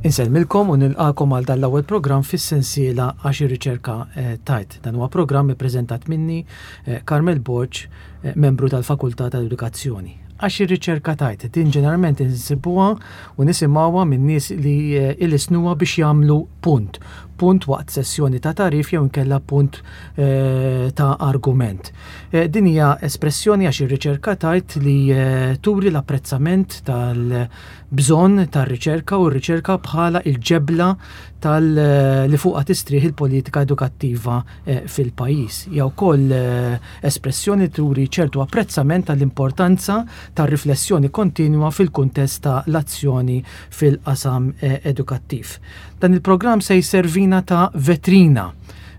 Insellmilkom u nilqakom għal dan l-ewwel programm fis-sensiela għax ir-riċerka eh, tajt. Dan huwa programm ippreżentat minni eh, Carmel Borg, eh, membru tal-Fakultà tal-Edukazzjoni. Għax ir-riċerka tajt, din ġeneralment insibuha u nisimgħuha minn nies li ilisnuha biex jagħmlu punt. Punt waqt sessjoni ta' tagħrif jew inkella punt ta' argument. Din hija espressjoni għax ir-riċerka tajt li turi l-apprezzament tal- bżonn tar-riċerka u r-riċerka bħala il-ġebla tal li fuqha tistrieħ il-politika edukattiva eh, fil-pajjiż. Hija wkoll eh, espressjoni turi ċertu apprezzament tal-importanza tar-riflessjoni kontinwa fil-kuntest ta' l-azzjoni fil-qasam eh, edukattiv. Dan il-programm se jservina ta' vetrina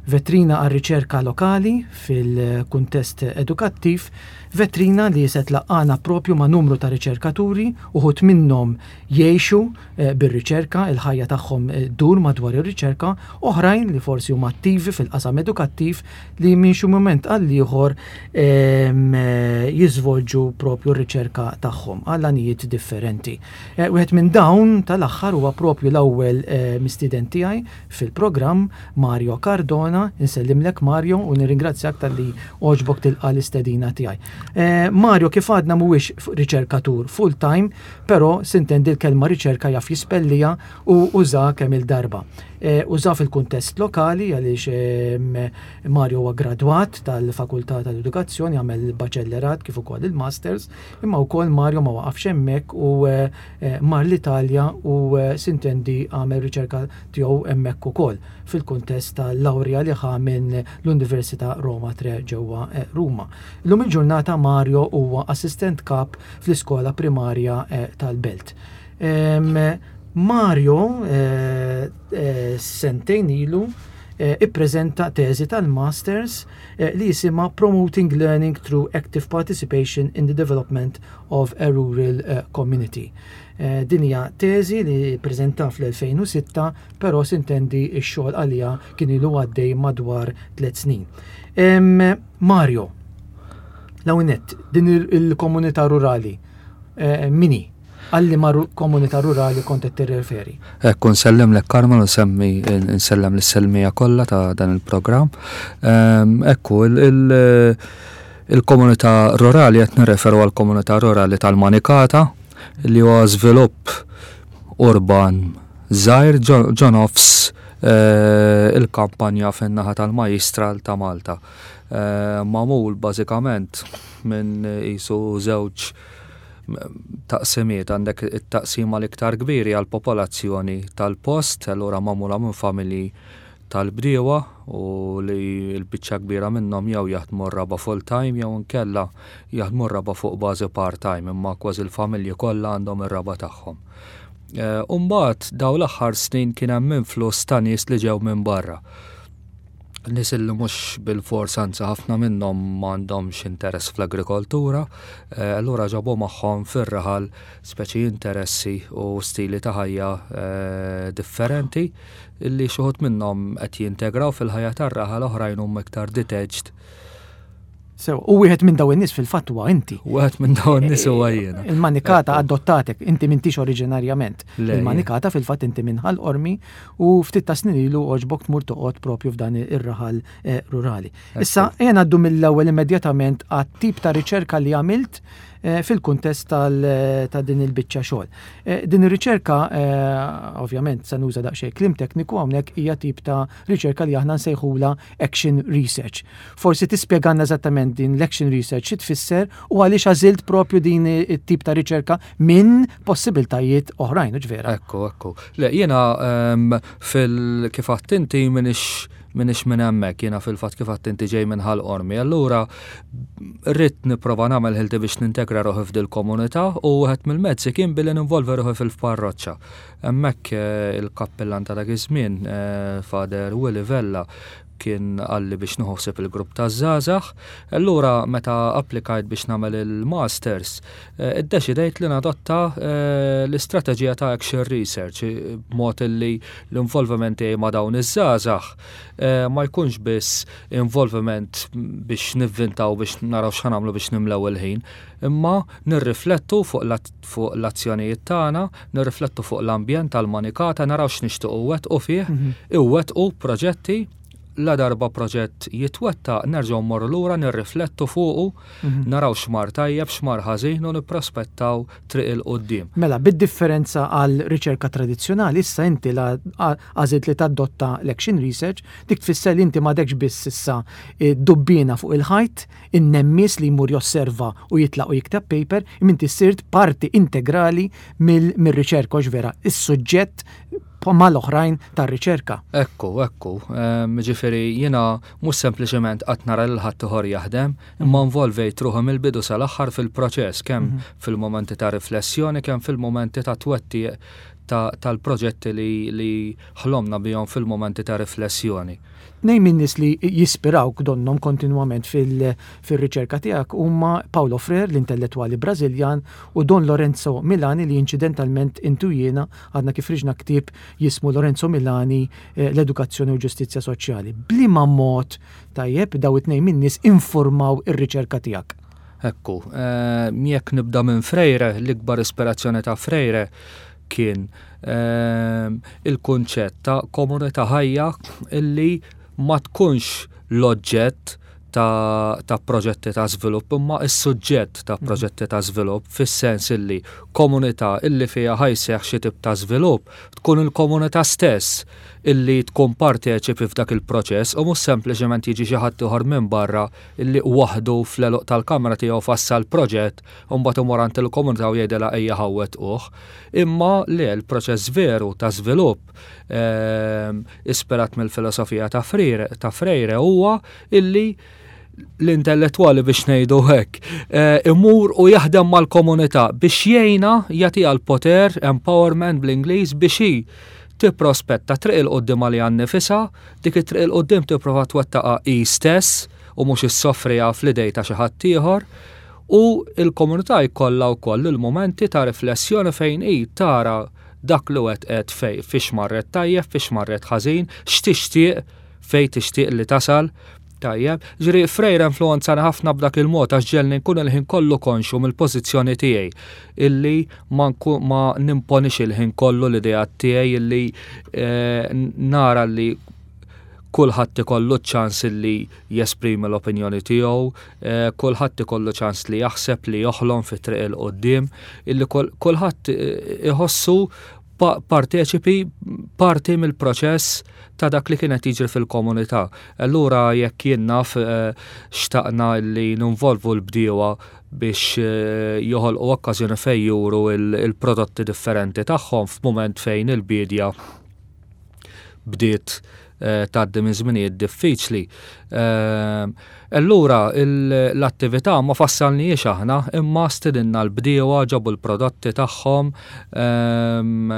vetrina għar-riċerka lokali fil-kuntest edukattiv Vetrina li se tlaqqagħna propju ma' numru ta' riċerkaturi, uħud minnhom jgħixu eh, bir-riċerka, il-ħajja tagħhom eh, ddur madwar ir-riċerka, oħrajn li forsi huma attivi fil-qasam edukattiv li minn xi mument għal ieħor ehm, eh, jiżvolġu propju r-riċerka tagħhom għal għanijiet differenti. Wieħed minn dawn tal-aħħar huwa propju l-ewwel mistieden tiegħi fil-programm Mario Cardona, insellimlek Mario u nirringrazzjak talli għoġbok tilqa' l-istedina tiegħi. Eh, Mario kif għadna mhuwiex riċerkatur full time, però sintendi l-kelma riċerka jaf jispellija u uża kemm il-darba. Eh, uża fil-kuntest lokali għaliex eh, Mario huwa gradwat tal-Fakultà tal-Edukazzjoni, għamel il-baċellerat kif ukoll il-masters, imma wkoll Mario ma waqafx hemmhekk u mar l-Italja u sintendi għamel riċerka tiegħu hemmhekk ukoll fil-kuntest tal-lawrja li ħa minn l-Università Roma Tre ġewwa eh, Ruma. Illum il-ġurnata Mario huwa assistent kap fl-iskola primarja eh, tal-Belt. Mario eh, sentejn ilu ippreżenta teżi tal-Masters li jisimha Promoting Learning Through Active Participation in the Development of a Rural Community. Eh, din hija teżi li ppreżenta fl-2006, però sintendi x-xogħol għaliha kien ilu għaddej madwar tliet snin. Mario, l-hawnett, din il-komunità rurali, eh, mini, għalli ma komunità rurali kont qed tirreferi. Ekku nsellem lek Carmen u semmi nsellem lis-selmija kollha ta' dan il-programm. Ekku il-komunità rurali qed nirreferu għall-komunità rurali tal-Manikata li huwa żvilupp urban żgħir ġo nofs eh, il-kampanja fin-naħa tal-Majjistral ta' Malta. Eh, magħmul bażikament minn qisu żewġ taqsimiet għandek it-taqsima l-iktar kbiri għal popolazzjoni tal-post, allura magħmula minn familji tal-bdiewa u li l-biċċa kbira minnhom jew jaħdmu r-raba' full-time jew inkella jaħdmu r-raba' fuq bażi part-time imma kważi l-familji kollha għandhom ir-raba' tagħhom. Eh, u mbagħad dawn l-aħħar snin kien hemm influss ta' nies li ġew minn barra. Nies li mhux bilfors anzi ħafna minnhom m'għandhomx interess fl-agrikoltura, eh, allura ġabu magħhom fir-raħal speċi interessi u stili ta' ħajja eh, differenti illi xi wħud minnhom qed jintegraw fil-ħajja tar-raħal oħrajn huma iktar detached. Sew, u wieħed minn dawn in-nies fil-fatt huwa inti. Wieħed minn dawn in-nies huwa jiena. Il-manikata adottatek, inti m'intix oriġinarjament. Il-manikata fil-fatt inti minn Ħal Qormi u ftit ta' snin ilu għoġbok tmur toqgħod propju f'dan ir-raħal eh, rurali. Issa, ejja ngħaddu mill-ewwel immedjatament għat-tip ta' riċerka li għamilt eh, fil-kuntest eh, ta' din il-biċċa xogħol. Eh, din ir-riċerka, ovvjament, se nuża daqsxejn kliem tekniku hawnhekk hija tip ta' riċerka li aħna nsejħula action research. Forsi tispjegalna eżattament din l-action research xi tfisser u għaliex għażilt propju din it-tip ta' riċerka minn possibiltajiet oħrajn, vera. Ekku, ekku. Le, jiena ehm, fil kif inti minix M'iniex minn hemmhekk, jiena fil-fatt kif għedt inti ġej minn Ħal Qormi. Allura rrid nipprova nagħmel ħilti biex nintegra ruħi f'dil-komunità u wieħed mill-mezzi kien billi ninvolvi ruħi fil-parroċċa. Hemmhekk eh, il-kappillan ta' dak iż-żmien, eh, Father Willy Vella, kien qalli biex nieħu ħsieb il-grupp taż-żgħażagħ. Allura meta applikajt biex nagħmel il-masters, eh, iddeċidejt li nadotta eh, l-istrateġija ta' action research b'mod li l-involviment tiegħi ma' dawn iż-żgħażagħ eh, ma jkunx biss involviment biex nivvintaw biex naraw x'ħanamlu biex nimlew il-ħin, imma nirriflettu fuq l-azzjonijiet tagħna, nirriflettu fuq l-ambjent tal-manikata, naraw x'nixtiequ wettqu fih, iwettqu proġetti, la darba proġett jitwettaq nerġgħu mmorru lura nirriflettu fuqu, naraw x'mar tajjeb, x'mar ħażin u nipprospettaw triq 'il quddiem. Mela, bid-differenza għal riċerka tradizzjonali, issa inti la għażilt li tadotta l-action research, dik tfisser li inti m'għadekx biss issa dubbiena fuq il-ħajt, in-nemmies li jmur josserva u jitlaq u jikteb paper, imma inti sirt parti integrali mir-riċerka, hux vera, is-suġġett mal-oħrajn tar-riċerka. Ekku, ekku. Ġifieri jiena mhux sempliċement qatt nara lil ħaddieħor jaħdem, imma involvejt ruħi mill-bidu sal-aħħar fil-proċess, kemm fil-mumenti ta' riflessjoni, kemm fil-mumenti ta' twettiq tal-proġetti li ħlomna bihom fil-mumenti ta' riflessjoni. Tnejn min-nies li jispirawk donnhom kontinwament fir-riċerka tiegħek huma Paulo Freire, l-intellettwali Brażiljan, u Don Lorenzo Milani li inċidentalment int u jiena għadna kif ħriġna ktieb jismu Lorenzo Milani L-Edukazzjoni u l-Ġustizzja Soċjali. B'liema mod, tajjeb, dawn it-tnejn min-nies infurmaw ir-riċerka tiegħek? Ekku, jekk nibda minn Freire, l-ikbar ispirazzjoni ta' Freire kien il-kunċett ta' komunità ħajja illi ma tkunx l-oġġett ta', ta proġetti ta' żvilupp imma s-suġġett ta' mhm. proġetti ta' żvilupp fis-sens illi komunità illi fiha ħajseħ xi tip ta' żvilupp tkun il-komunità stess illi tkun parteċipi f'dak il-proċess u mhux sempliċement jiġi xi ħadd ieħor minn barra illi waħdu fl-għeluq tal-kamra tiegħu fassal proġett u mbagħad imur għand il-komunità u jgħidilha ejja ħa wettquh. Imma le, l-proċess veru ta' żvilupp ehm, ispirat mill-filosofija ta' Freire, ta' Freire huwa illi l-intellettwali biex ngħidu hekk, eh, imur u jaħdem mal-komunità biex jgħinha jagħtiha l-poter, empowerment bl-Ingliż biex hi tipprospetta triq 'il quddiem għaliha nnifisha, dik it-triq 'il quddiem tipprova twettaqha hi stess u mhux issoffriha fl-idej ta' xi ħadd ieħor, u l-komunità jkollha wkoll il-mumenti ta' riflessjoni fejn hi tara dak li wettqet fejn fiex marret tajjeb, fiex marret ħażin, x'tixtieq, fejn tixtieq li tasal. Tajjeb, ġifieri Freire influwenzani ħafna b'dak il-mod għax ġegħelni nkun il-ħin kollu konxju mill-pożizzjoni tiegħi illi ma ma nimponix il-ħin kollu l-ideat tiegħi illi eh, nara li kulħadd ikollu ċ-ċans illi jesprimi l-opinjoni tiegħu, eh, kulħadd ikollu ċans li jaħseb li joħlom fit-triq il quddiem illi kulħadd eh, iħossu parteċipi parti mill-proċess ta' dak li kien qed jiġri fil-komunità. Allura jekk jien naf eh, xtaqna li ninvolvu l-bdiewa biex eh, joħolqu okkażjoni fejn juru il-prodotti differenti tagħhom f'mument fejn il-biedja bdiet eh, tgħaddi minn żminijiet diffiċli. Eh, allura l-attività ma fassalniex aħna imma stidinna l-bdiewa ġabu l-prodotti tagħhom ehm,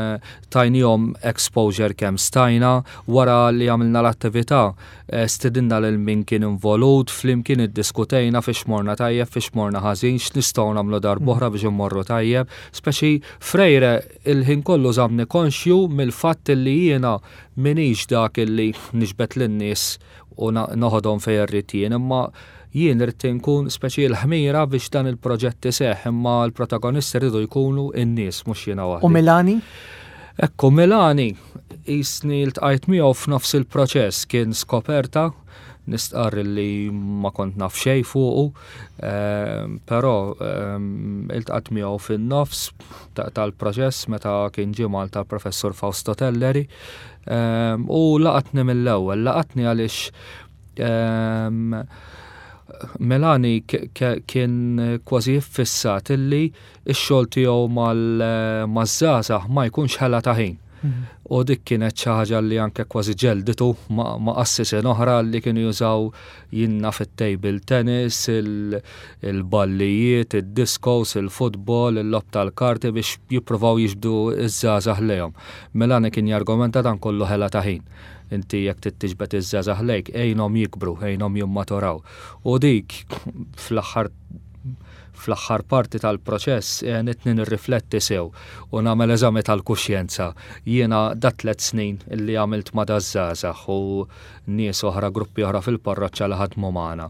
tajnihom exposure kemm stajna wara li għamilna l-attività eh, stidinna lil min kien involut flimkien iddiskutejna fiex morna tajjeb fiex morna ħażin x'nistgħu nagħmlu darb'oħra biex immorru tajjeb speċi Freire Il-ħin kollu żammni konxju mill-fatt li jiena m'iniex dak li niġbed lin-nies u noħodhom fejn irrid jien, imma jien irrid inkun speċi l-ħmira biex dan il-proġett iseħħ, imma l-protagonisti rridu jkunu n-nies mhux jiena waħdi. U Milani? Ekku, Milani qisni ltqajt miegħu f'nofs il-proċess, kien skoperta Nistqarr li ma kont naf xejn fuqu, ehm, però ehm, iltqat miegħu fin-nofs tal-proċess meta kien ġie Malta l-Professur Fausto Telleri ehm, u laqatni mill-ewwel, laqatni għaliex Melani kien kważi ffissat illi x-xogħol tiegħu mal-żgħażagħ ma jkunx ħela ta' ħin. U dik kienet xi ħaġa li anke kważi ġelditu ma' qassisin oħra li kienu jużaw jinna fit-table tennis, il-ballijiet, id-discos, il-futbol, il-logħob tal-karti biex jippruvaw jiġbdu ż-żgħażagħ lejhom. Melani kien jargumenta dan kollu ħela ta' ħin. Inti jekk trid tiġbed iż-żgħażagħ lejk, għinhom jikbru, għinhom jimmaturaw. U dik fl-aħħar Fl-aħħar parti tal-proċess għenitni nirrifletti sew u nagħmel eżami tal-kuxjenza. Jiena dat-tlett snin li għamilt ma' daż-żgħażagħ u nies oħra, gruppi oħra fil-parroċċa li ħadmu magħna,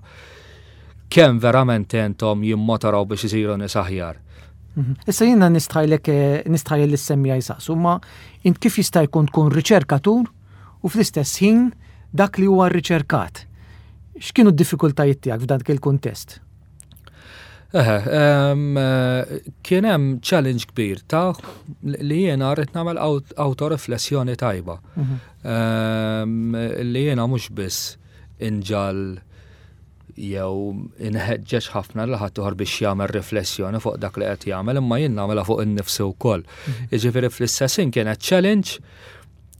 kemm verament għenthom jimmotoraw biex isiru nies aħjar? Issa jiena nistħajlek nistħajjel lis-semmiegħa jsaqsu, imma int kif jista' jkun tkun riċerkatur u fl-istess ħin dak li huwa rriċerkat? X'kienu d-diffikultajiet tiegħek f'dak il-kuntest? Eħe, kien hemm challenge kbir ta' li jiena rrid nagħmel autoriflessjoni tajba. Li jiena mhux biss inġal jew inħeġġeġ ħafna li ħadd biex jagħmel riflessjoni fuq dak li qed jagħmel, imma jien nagħmilha fuq innifsi wkoll. Jiġifieri fl-istess ħin kienet challenge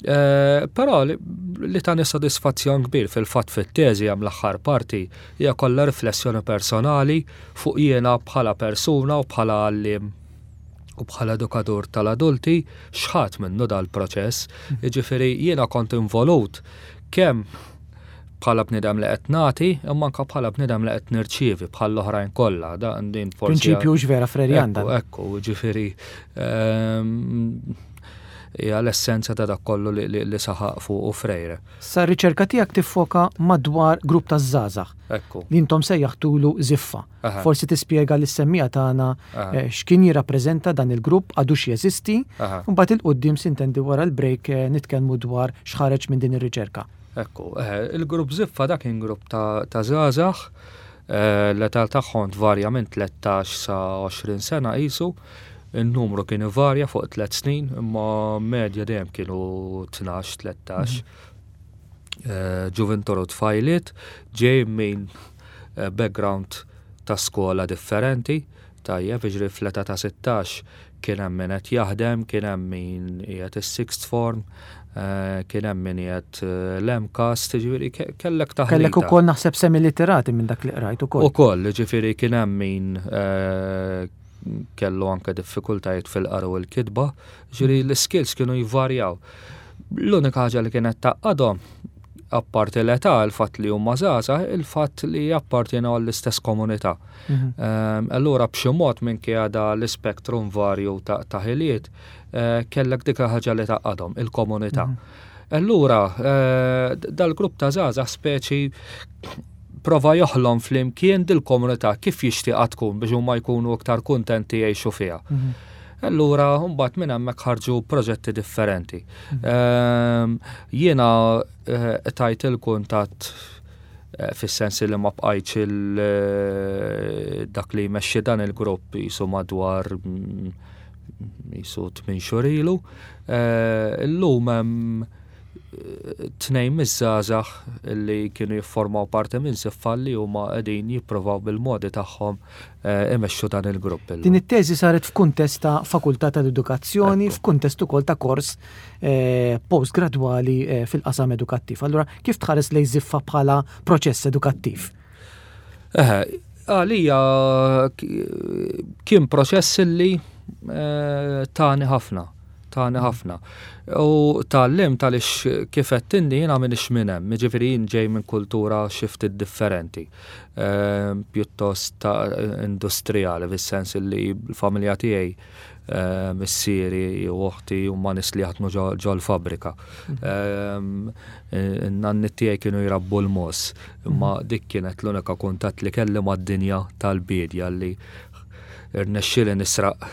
Eh, però li tani sodisfazzjon kbir fil-fatt fit-teżi hemm l-aħħar parti hija kollha riflessjoni personali fuq jiena bħala persuna u bħala għalliem u bħala edukatur tal-adulti x'ħadd minnu dal-proċess. Jiġifieri jiena kont involut kemm bħala bniedem li qed nagħti, imma anke bħala bniedem li qed nirċievi bħal oħrajn kollha. Dan din forsi. Prinċipju vera Frerian dan. Ekku, ġifieri ehm, Hija l-essenza ta' dak kollu li saħaq fuqu Freire. Sa r-riċerka tiegħek tiffoka madwar grupp ta' żgħażagħ. Ekku. Li intom sejjaħtulu Żiffa. Forsi tispjega lis-semmiegħa tagħna x'kien jirrappreżenta dan il-grupp, għadux jeżisti, u mbagħad 'il quddiem sintendi wara l-break nitkellmu dwar x'ħareġ minn din ir-riċerka. Ekku, il-grupp Żiffa dak kien grupp ta' żgħażagħ, l-età tagħhom tvarja minn 13 sa 20 sena qisu. In-numru kien ivarja fuq tlet snin, imma medja dejjem kienu 12, 13. Eh, ġuvintur u tfajliet ġej minn eh, background ta' skola differenti, tajjeb, jiġri fl-età ta' 16 kien hemm min qed jaħdem, kien hemm min qiegħed is-sixth form, eh, kien hemm min qiegħed l-MCAST, jiġifieri kellek taħlita. Kellek ukoll naħseb semi-literati minn dak li qrajt ukoll. Ukoll, jiġifieri kien hemm min kellu anke diffikultajiet fil-qari u l-kitba, ġifieri l-iskills kienu jvarjaw. L-unika ħaġa li kienet tgħaqqadhom, apparti l-età, il-fatt li huma żgħażagħ, il-fatt li jappartjenu għall-istess komunità. Mhm. Ehm, allura b'xi mod minkejja da l-ispektrum varju ta' ħiliet, eh, kellek dik ħaġa li tgħaqqadhom, il-komunità. Mhm. Allura, eh, dal-grupp ta' żgħażagħ speċi prova joħlom flimkien dil-komunità kif jixtieqha tkun biex huma jkunu iktar kuntenti jgħixu fiha. Mhm. Allura, mbagħad minn hemmhekk ħarġu proġetti differenti. Mhm. Ehm, jiena eh, tajt il-kuntatt eh, fis-sens li ma bqajtx eh, dak li jmexxi dan il-grupp jisu madwar jisu tmien xhur ilu. Illum hemm tnejn miż-żgħażagħ li kienu jifformaw parti minn Siffa li huma qegħdin jippruvaw bil-modi tagħhom eh, imexxu dan il-grupp. Din it-teżi saret f'kuntest ta' Fakultà tal-Edukazzjoni, f'kuntest ukoll ta' kors eh, postgradwali eh, fil-qasam edukattiv. Allura kif tħares lejn Ziffa bħala proċess edukattiv? Għalija kien proċess li tani ħafna tani ħafna. U tgħallimt għaliex kif għedt inti jiena m'iniex minn hemm, jiġifieri jien ġej minn kultura xi ftit differenti, ehm, pjuttost ta' industrijali fis-sens li l-familja tiegħi ehm, missieri u oħti huma nies li jaħdmu ġol-fabbrika. Ehm, in-nanniet tiegħi kienu jrabbu l-mogħoż, imma dik kienet l-unika kuntatt li kelli mad-dinja tal-biedja li irnexxieli nisraq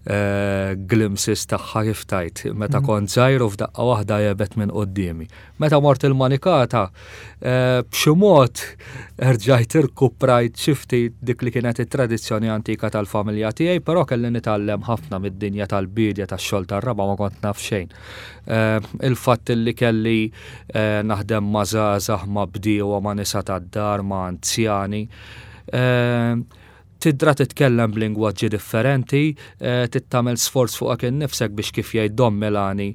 eh, glimpses tagħha kif tajt meta mhm. kont żgħir u f'daqqa waħda jebet minn quddiemi. Meta mort il-manikata, eh, b'xi mod erġajt irkuprajt xi ftit dik li kienet it-tradizzjoni antika tal-familja tiegħi, però kelli nitgħallem ħafna mid-dinja tal-bidja tax-xogħol tar-raba' ma kont naf xejn. Eh, il-fatt li kelli naħdem ma' żgħażagħ, ma' bdiewa, ma' nisa tad-dar, ma' anzjani. Tidra titkellem b'lingwaġġi differenti, trid tagħmel sforz fuqek innifsek biex kif jgħid Don Milani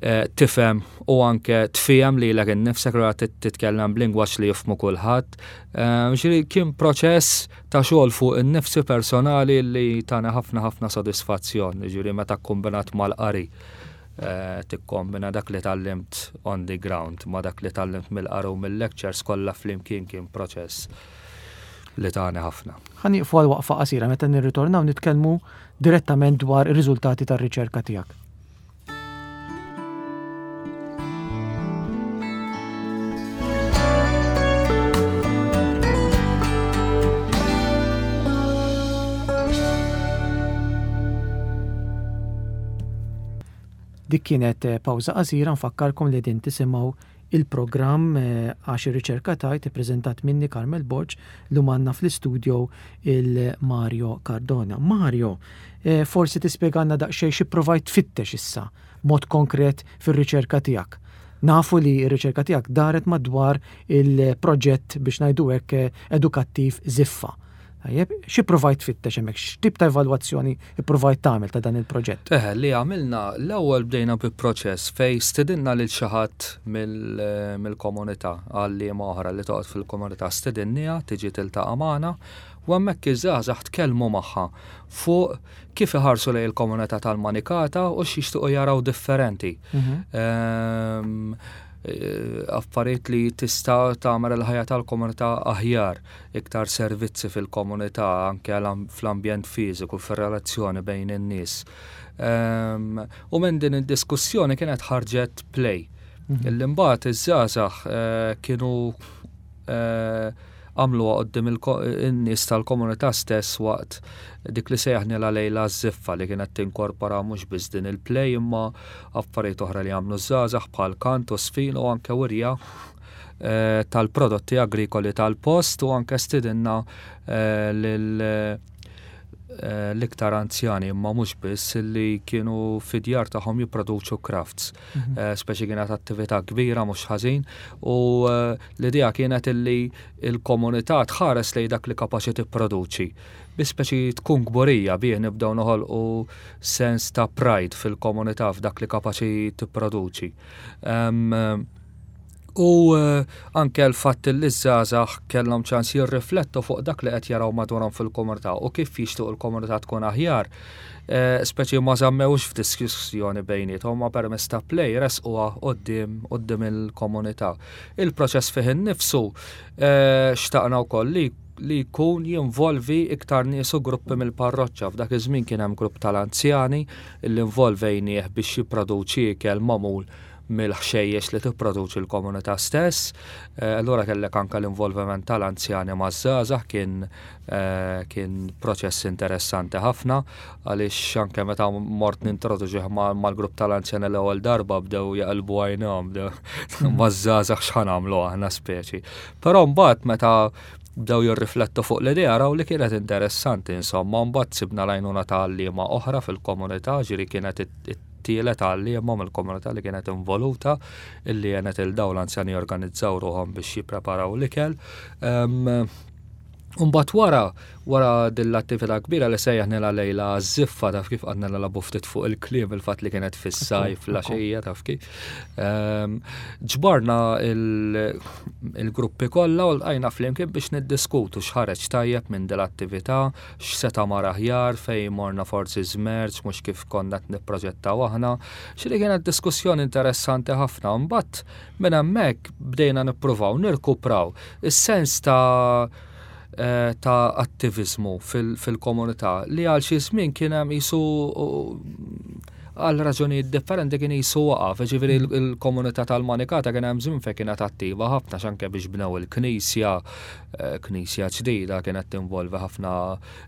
tifhem u anke tfiehem lilek innifsek allura titkellem b'lingwaġġ li jifhmu kulħadd. Ġifieri kien proċess ta' xogħol fuq innifsi personali li tani ħafna ħafna sodisfazzjon, ġifieri meta kkombinat mal-qari. Tikkombina dak li tgħallimt on the ground ma' dak li tgħallimt mill-qari u mill-lectures kollha flimkien kien proċess li tani ħafna. Ħa nieqfu għal waqfa qasira meta nirritornaw nitkellmu direttament dwar ir-riżultati tar-riċerka tiegħek. Dik kienet eh, pawża qasira nfakkarkom li din tisimgħu il-programm eh, għax ir-riċerka tajt ippreżentat minni Carmel Borg li għandna fl-istudio il-Mario Cardona. Mario, eh, forsi tispjegana daqsxejn xi provajt tfittex issa mod konkret fir-riċerka tiegħek. Nafu li r-riċerka tiegħek daret madwar il-proġett biex ngħidu hekk eh, edukattiv Ziffa. Tajjeb, xi provajt tfittex hemmhekk, x'tip ta' evalwazzjoni pprovajt tagħmel ta' dan il-proġett? Eħe, li għamilna, l-ewwel bdejna bi proċess fejn stidinna lil xi ħadd mill-komunità, għalliema oħra li toqgħod fil-komunità stidinniha tiġi tiltaqa' magħna u hemmhekk iż-żgħażagħ tkellmu magħha fuq kif iħarsu lejn il-komunità tal-Manikata u x'jixtiequ jaraw differenti. Mhm. Eh, affarijiet li tista' tagħmel il-ħajja tal-komunità aħjar, iktar servizzi fil-komunità, anke fl-ambjent fiżiku, fir-relazzjoni bejn in-nies. Ehm, u minn din id-diskussjoni kienet ħarġet play. Mhm. Illi mbagħad iż-żgħażagħ eh, kienu eh, għamluha quddiem in-nies tal-komunità stess waqt dik li sejjaħnilha lejla ż-żiffa li kienet tinkorpora mhux biss din il-play imma affarijiet oħra li għamlu ż-żgħażagħ bħal kant u żfin u anke wirja eh, tal-prodotti agrikoli tal-post u anke stidinna eh, lil eh, l-iktar anzjani imma mhux biss li kienu fid-djar tagħhom jipproduċu crafts. Mhm. Eh, speċi kienet attività kbira mhux ħażin u eh, l-idea kienet illi il-komunità tħares lejn dak li kapaċi tipproduċi. Bi speċi tkun kburija bih nibdew noħolqu sens ta' pride fil-komunità f'dak li kapaċi tipproduċi. U anke l-fatt li ż-żgħażagħ kellhom ċans jirriflettu fuq dak li qed jaraw madwarhom fil-komunità u kif jixtiequ l-komunità tkun aħjar, speċi ma żammewx f'diskussjoni bejniethom ma permezz ta' play ressquha quddiem quddiem il-komunità. Il-proċess fih innifsu xtaqna wkoll li li jkun jinvolvi iktar nies u gruppi mill-parroċċa. F'dak iż-żmien kien hemm grupp tal-anzjani li involvejnieh biex jipproduċi ikel magħmul mill-ħxejjex li tipproduċi l-komunità stess. Eh, allura kellek anke l-involviment tal-anzjani maż-żgħażagħ kien eh, kien proċess interessanti ħafna għaliex anke meta mort nintroduċih mal-grupp tal-anzjani l-ewwel darba bdew jaqilbu għajnhom bdew maż-żgħażagħ x'ħa nagħmlu aħna speċi. Però mbagħad meta bdew jirriflettu fuq l-idea raw li kienet interessanti insomma mbagħad sibna l-għajnuna ta' għalliema oħra fil-komunità ġiri kienet it-tielet għalliema mill-komunità li kienet involuta illi għenet il dawn l-anzjani jorganizzaw ruħhom biex jippreparaw l-ikel. Umbat wara, wara din l-attività kbira li sejjaħnilha lejla żiffa taf kif għadna nilagħbu ftit fuq il-kliem il-fatt li kienet fis-sajf l-għaxija taf kif. Ġbarna il-gruppi kollha u lqajna flimkien biex niddiskutu x'ħareġ tajjeb minn din l-attività, x'seta' mar aħjar, fejn morna forsi żmerċ mhux kif konna qed nipproġettaw aħna. Xi kienet diskussjoni interessanti ħafna. Mbagħad minn hemmhekk bdejna nippruvaw nirkupraw is-sens ta' eh, ta' attiviżmu fil-komunità li għal xi żmien kien hemm qisu għal raġunijiet differenti kien jisu waqaf, ġifieri mm. il-komunità tal-Manikata kien hemm żmien fejn kienet attiva ħafna x'anke biex bnew il-knisja, eh, knisja ġdida kienet tinvolvi ħafna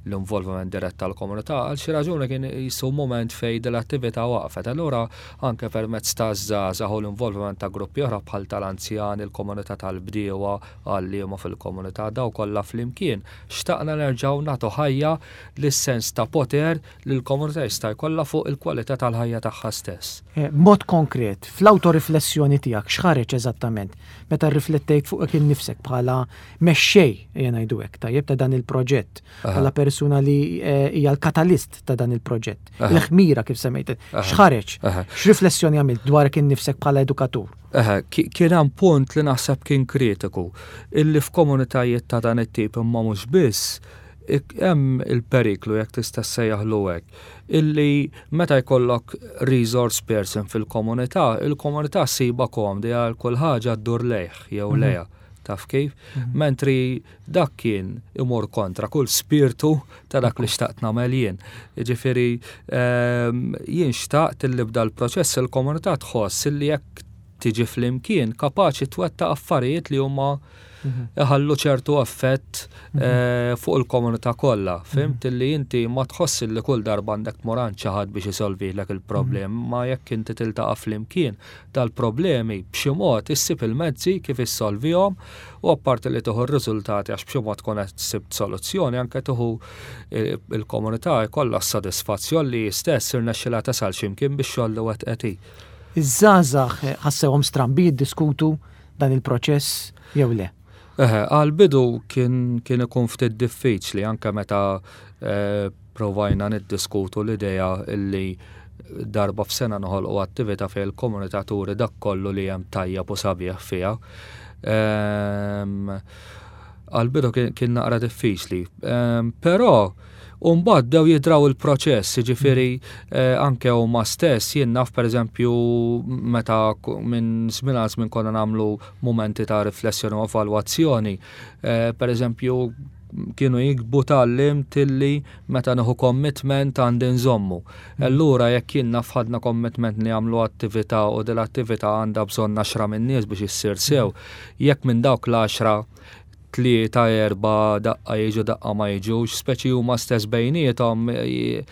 l-involviment dirett tal-komunità, għal xi raġuni kien jisu moment fejn l-attività waqfet. Allura anke permezz ta' żgħażagħ u l-involviment ta' gruppi oħra bħal tal-anzjani, il-komunità tal-bdiewa, għalliema fil-komunità, daw kollha flimkien xtaqna nerġgħu nagħtu ħajja lis-sens ta' poter li l-komunità jista' jkollha fuq il-kwalità tal-ħajja. tal-ħajja tagħha stess. B'mod konkret, fl-awtoriflessjoni tiegħek x'ħareġ eżattament meta rriflettejt fuqek innifsek bħala mexxej, ejja ngħidu hekk, tajjeb ta' dan il-proġett, bħala persuna li eh, hija l-katalist ta' dan il-proġett, il-ħmira kif semmejt, x'ħareġ, x'riflessjoni għamilt dwarek innifsek bħala edukatur? Kien hemm punt li naħseb kien kritiku, illi f'komunitajiet ta' dan it-tip imma mhux biss, hemm il-periklu jekk tista' ssejjaħlu hekk, illi meta jkollok resource person fil-komunità, il-komunità ssibha komdi għal kull ħaġa ddur lejh jew mhm. lejha. Taf kif? Mhm. Mentri dak kien imur kontra kull spirtu ta' dak li xtaqt nagħmel jien. Jiġifieri ehm, jien xtaqt illi bda l-proċess il-komunità tħoss illi jekk tiġi flimkien kapaċi twettaq affarijiet li huma iħallu ċertu effett mhm. eh, fuq il-komunità kollha. Fimt mhm. li inti ma tħoss li kull darba għandek tmur għand xi ħadd biex isolvilek il-problem, mhm. ma jekk inti tiltaqa' flimkien dal-problemi b'xi mod issib il-mezzi kif issolvihom u apparti li tieħu r-riżultati għax b'xi mod tkun qed sibt soluzzjoni anke tieħu eh, il-komunità jkollha s-sodisfazzjon li stess irnexxilha tasal x'imkien biex xogħol li wettqet hi. Iż-żgħażagħ ħassewhom strambi jiddiskutu dan il-proċess jew le? Eħe, għal-bidu kien, kien ikun ftit diffiċli anke meta eh, provajna niddiskutu l-idea illi darba f'sena noħolqu attività fejn il-komunità turi dak kollu li hemm tajjeb u sabiħ fiha. Ehm, għal-bidu kien naqra diffiċli. Ehm, però U mbagħad bdew jidraw il-proċess, jiġifieri eh, anke huma stess jien naf pereżempju meta minn żmien għal żmien konna nagħmlu mumenti ta' riflessjoni u evalwazzjoni, eh, pereżempju kienu jikbu tgħallimt tilli meta nieħu commitment għandi nżommu. Allura jekk jien naf ħadna commitment li jagħmlu attività u din l-attività għandha bżonn għaxra minn nies biex issir sew, jekk minn dawk l-għaxra tlieta, erbgħa, daqqa jiġu daqqa ma jiġux, speċi huma stess bejniethom eh,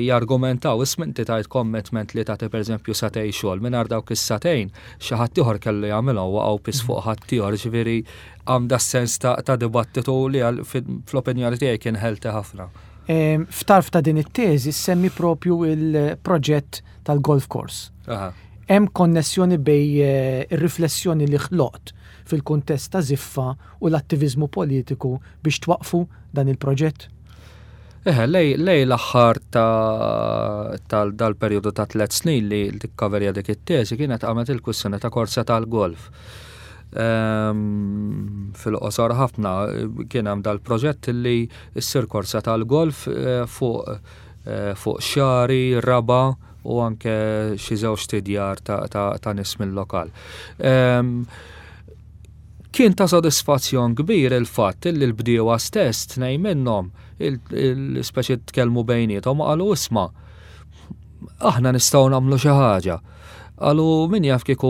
jargumentaw, isma' inti tajt commitment li tagħti pereżempju sagħtejn xogħol, mingħajr dawk is-sagħtejn xi ħadd ieħor kellu jagħmilhom waqgħu piż fuq ħaddieħor, ġifieri għam da sens ta' dibattitu li fl-opinjoni tiegħi kien healthy ħafna. F'tarf ta' din it-teżi semmi propju il-proġett tal-golf course. Hemm konnessjoni bej eh, ir-riflessjoni li ħloqt fil-kuntest ta' żiffa u l-attiviżmu politiku biex twaqqfu dan il-proġett? Eħe, lej, lej l-aħħar ta' dal-perjodu ta' tlet snin li tikkaverja dik it-teżi kienet qamet il-kwistjoni ta' korsa tal-golf. Ehm, fil-qosor ħafna kien hemm dal-proġett li ssir korsa tal-golf eh, fuq eh, fuq xari, raba' u anke xi żewġ tidjar ta' nies mill-lokal. Ehm, kien ta' sodisfazzjon kbir il-fatt li l-bdiewa stess tnej minnhom il-speċi tkellmu bejniethom u qalu isma' aħna nistgħu nagħmlu xi ħaġa. Qalu min jaf kieku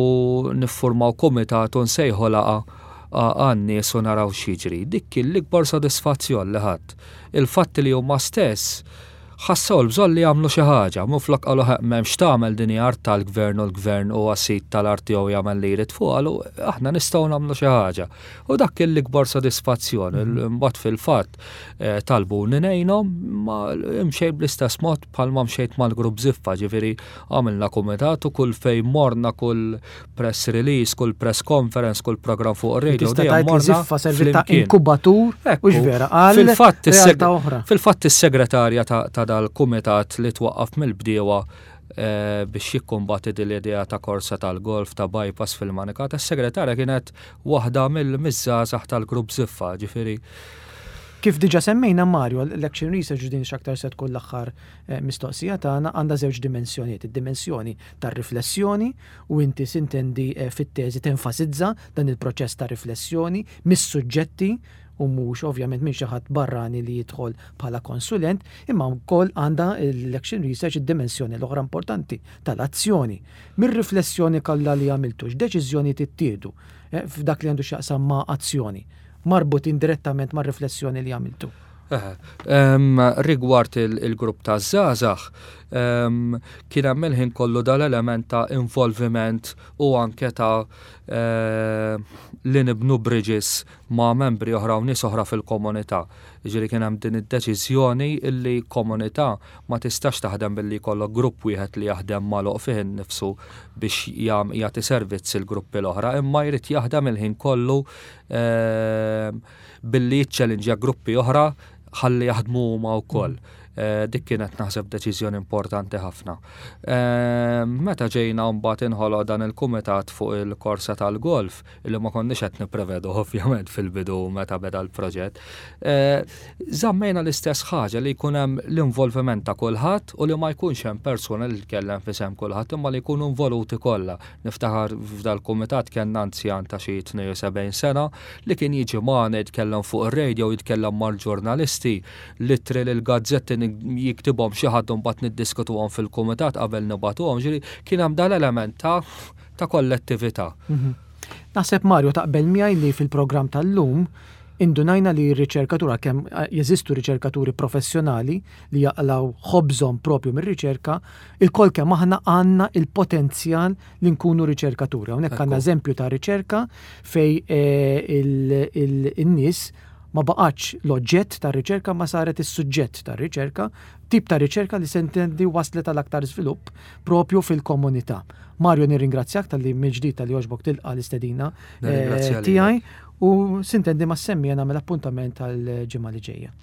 niffurmaw kumitat u nsejħu laqgħa għan-nies u naraw x'jiġri. Dik kien l-ikbar sodisfazzjon li ħadt. Il-fatt li huma stess Ħassew il-bżonn li jagħmlu xi ħaġa, minflok qalu ħeqq m'hemm x'tagħmel din hi art tal-gvern u l-gvern huwa sid tal-art tiegħu jagħmel li jrid fuqha, qalu aħna nistgħu nagħmlu xi ħaġa. U dak kien l-ikbar sodisfazzjon. Imbagħad fil-fatt eh, talbuni ngħinhom ma imxejt bl-istess mod bħalma mxejt mal-grupp Ziffa, ġifieri għamilna kumitat u kull fejn morna kull press release, kull press conference, kull program fuq radio. Tista' tgħid li Ziffa servit ta' inkubatur u vera għal fil-fatt Fil-fatt is-segretarja ta' dal-kumitat li twaqqaf mill-bdiewa eh, biex jikkumbati din l-idea ta' korsa tal-golf ta' bypass fil-manika, tas-segretarja kienet waħda mill-miżżgħażagħ tal-grupp Ziffa, ġifieri. Kif diġa semmejna Mario, l-Action Research din x'aktar se tkun l-aħħar eh, mistoqsija tagħna għandha żewġ dimensjonijiet, id-dimensjoni tar-riflessjoni u inti sintendi eh, fit-teżi tenfasizza dan il-proċess ta' riflessjoni mis-suġġetti u mhux ovvjament minn xi ħadd barrani li jidħol bħala konsulent, imma wkoll għandha l-action research id-dimensjoni l-oħra importanti tal-azzjoni. Mir-riflessjoni kollha li għamiltu, x'deċiżjoni tittieħdu eh, f'dak li għandu x'jaqsam ma' azzjoni marbutin direttament mar-riflessjoni li għamiltu? Rigward il-grupp ta' żgħażagħ, kien hemm il-ħin kollu dal-element ta' involviment u anke ta' eh, li nibnu bridges ma' membri oħra u nies oħra fil-komunità. Jiġifieri kien hemm din id-deċiżjoni illi komunità ma tistax taħdem billi jkollok grupp wieħed li jaħdem magħluq fih innifsu biex jagħti servizz il-gruppi l-oħra, imma jrid jaħdem il-ħin kollu ehm, billi jiċċellinġja gruppi oħra ħalli jaħdmu huma wkoll. Eh, dik kienet naħseb deċiżjoni importanti ħafna. Eh, meta ġejna mbagħad inħoloq dan il-kumitat fuq il-korsa tal-golf, illi ma konniex qed nipprevedu ovvjament fil-bidu meta beda l-proġett, eh, żammejna l-istess ħaġa li jkun hemm l-involviment ta' kulħadd u li ma jkunx hemm persuna li tkellem f'isem kulħadd imma li jkunu involuti kollha. Niftakar f'dal-kumitat kellna anzjan ta' xi 72 sena li kien jiġi magħna jitkellem fuq ir-radio, jitkellem mal-ġurnalisti, l-ittri lill-gazzetti jiktibhom xi ħadd u mbagħad niddiskutuhom fil-kumitat qabel nibagħtuhom, ġifieri kien hemm dal-element ta' ta' kollettività. Mhm. Naħseb Mario taqbel miegħi li fil-programm tal-lum indunajna li r-riċerkatura kemm eh, jeżistu riċerkaturi professjonali li jaqlaw ħobżhom propju mir-riċerka, il-kol kemm aħna għandna il-potenzjal li nkunu riċerkaturi. Hawnhekk għandna eżempju ta' riċerka fej eh, il-nies ma baqgħetx l-oġġett tar-riċerka ma saret is-suġġett tar-riċerka, tip ta' riċerka li sentendi waslet għal aktar żvilupp propju fil-komunità. Mario nirringrazzjak talli mill-ġdid talli għoġbok tilqa' l-istedina eh, tiegħi u sintendi ma' semmi nagħmel appuntament għal ġimgħa li ġejja.